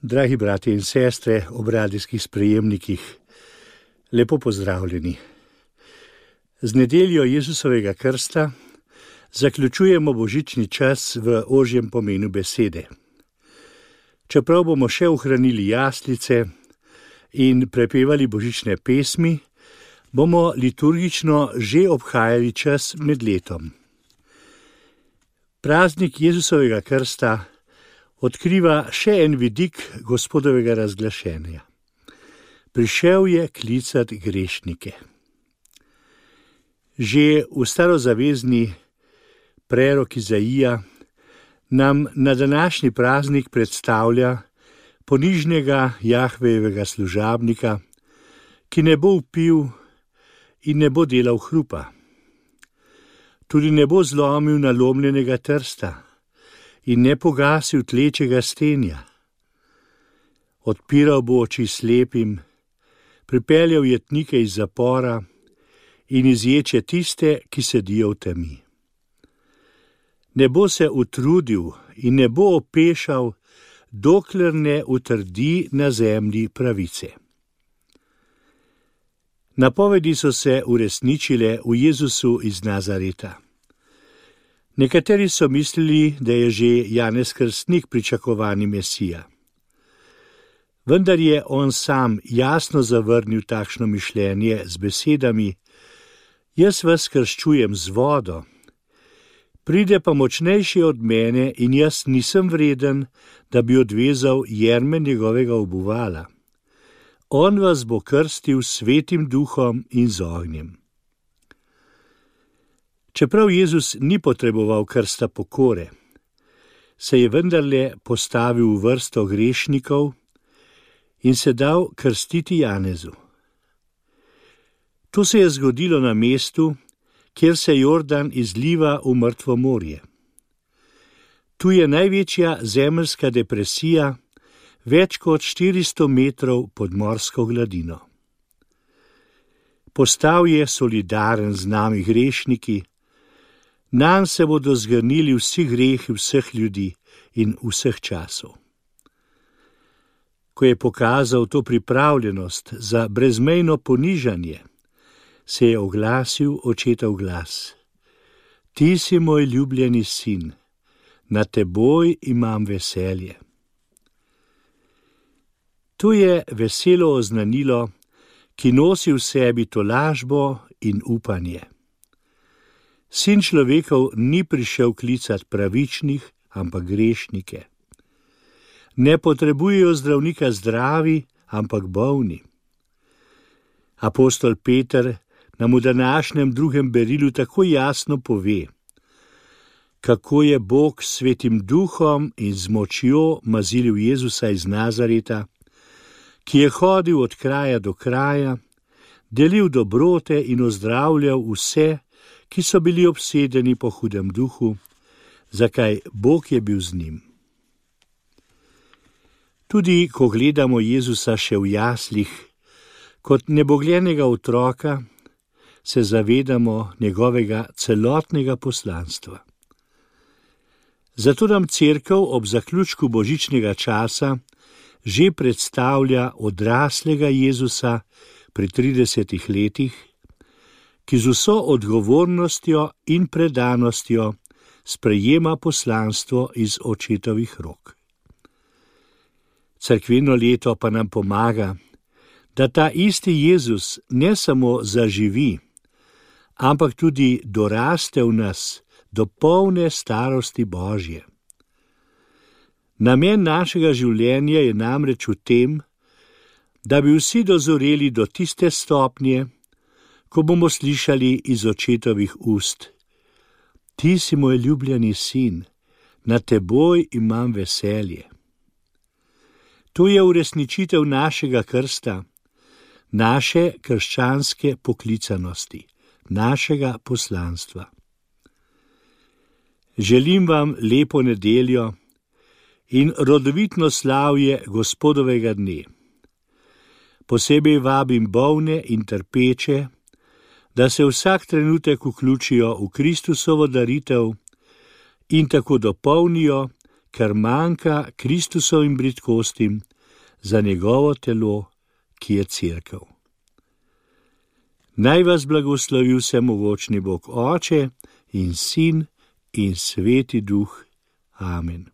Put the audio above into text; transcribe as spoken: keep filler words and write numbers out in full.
Dragi bratje in sestre ob radijskih sprejemnikih, lepo pozdravljeni. Z nedeljo Jezusovega krsta zaključujemo božični čas v ožjem pomenu besede. Čeprav bomo še ohranili jaslice in prepevali božične pesmi, bomo liturgično že obhajali čas med letom. Praznik Jezusovega krsta odkriva še en vidik Gospodovega razglašenja. Prišel je klicat grešnike. Že v starozavezni prerok Izaija nam na današnji praznik predstavlja ponižnega Jahvejevega služabnika, ki ne bo vpil in ne bo delal hrupa. Tudi ne bo zlomil nalomljenega trsta in ne pogasil tlečega stenja. Odpiral bo oči slepim, pripeljal jetnike iz zapora in izječe tiste, ki sedijo v temi. Ne bo se utrudil in ne bo opešal, dokler ne utrdi na zemlji pravice. Napovedi so se uresničile v Jezusu iz Nazareta. Nekateri so mislili, da je že Janez Krstnik pričakovani Mesija. Vendar je on sam jasno zavrnil takšno mišljenje z besedami: Jaz vas krščujem z vodo, pride pa močnejši od mene in jaz nisem vreden, da bi odvezal jerme njegovega obuvala. On vas bo krstil s Svetim duhom in z ognjem. Čeprav Jezus ni potreboval krsta pokore, se je vendarle postavil v vrsto grešnikov in se dal krstiti Janezu. To se je zgodilo na mestu, kjer se Jordan izliva v mrtvo morje. Tu je največja zemeljska depresija, več kot štiristo metrov pod morsko gladino. Postal je solidaren z nami grešniki, nanj se bodo zgrnili vsi grehi vseh ljudi in vseh časov. Ko je pokazal to pripravljenost za brezmejno ponižanje, se je oglasil očetov glas: Ti si moj ljubljeni sin, nad teboj imam veselje. To je veselo oznanilo, ki nosi v sebi tolažbo in upanje. Sin človekov ni prišel klicat pravičnih, ampak grešnike. Ne potrebujejo zdravnika zdravi, ampak bolni. Apostol Peter nam v današnjem drugem berilu tako jasno pove, kako je Bog s Svetim duhom in z močjo mazilil Jezusa iz Nazareta, ki je hodil od kraja do kraja, delil dobrote in ozdravljal vse, ki so bili obsedeni po hudem duhu, zakaj Bog je bil z njim. Tudi ko gledamo Jezusa še v jaslih, kot nebogljenega otroka, se zavedamo njegovega celotnega poslanstva. Zato nam Cerkev ob zaključku božičnega časa že predstavlja odraslega Jezusa pri tridesetih letih, ki z vso odgovornostjo in predanostjo sprejema poslanstvo iz očetovih rok. Cerkveno leto pa nam pomaga, da ta isti Jezus ne samo zaživi, ampak tudi doraste v nas do polne starosti Božje. Namen našega življenja je namreč v tem, da bi vsi dozoreli do tiste stopnje, ko bomo slišali iz očetovih ust: Ti si moj ljubljeni sin, nad teboj imam veselje. To je uresničitev našega krsta, naše krščanske poklicanosti, našega poslanstva. Želim vam lepo nedeljo in rodovitno slavje Gospodovega dne. Posebej vabim bolne in trpeče, da se vsak trenutek vključijo v Kristusovo daritev in tako dopolnijo, kar manjka Kristusovim bridkostim za njegovo telo, ki je cerkev. Naj vas blagoslovi vsemogočni Bog Oče in Sin in Sveti Duh. Amen.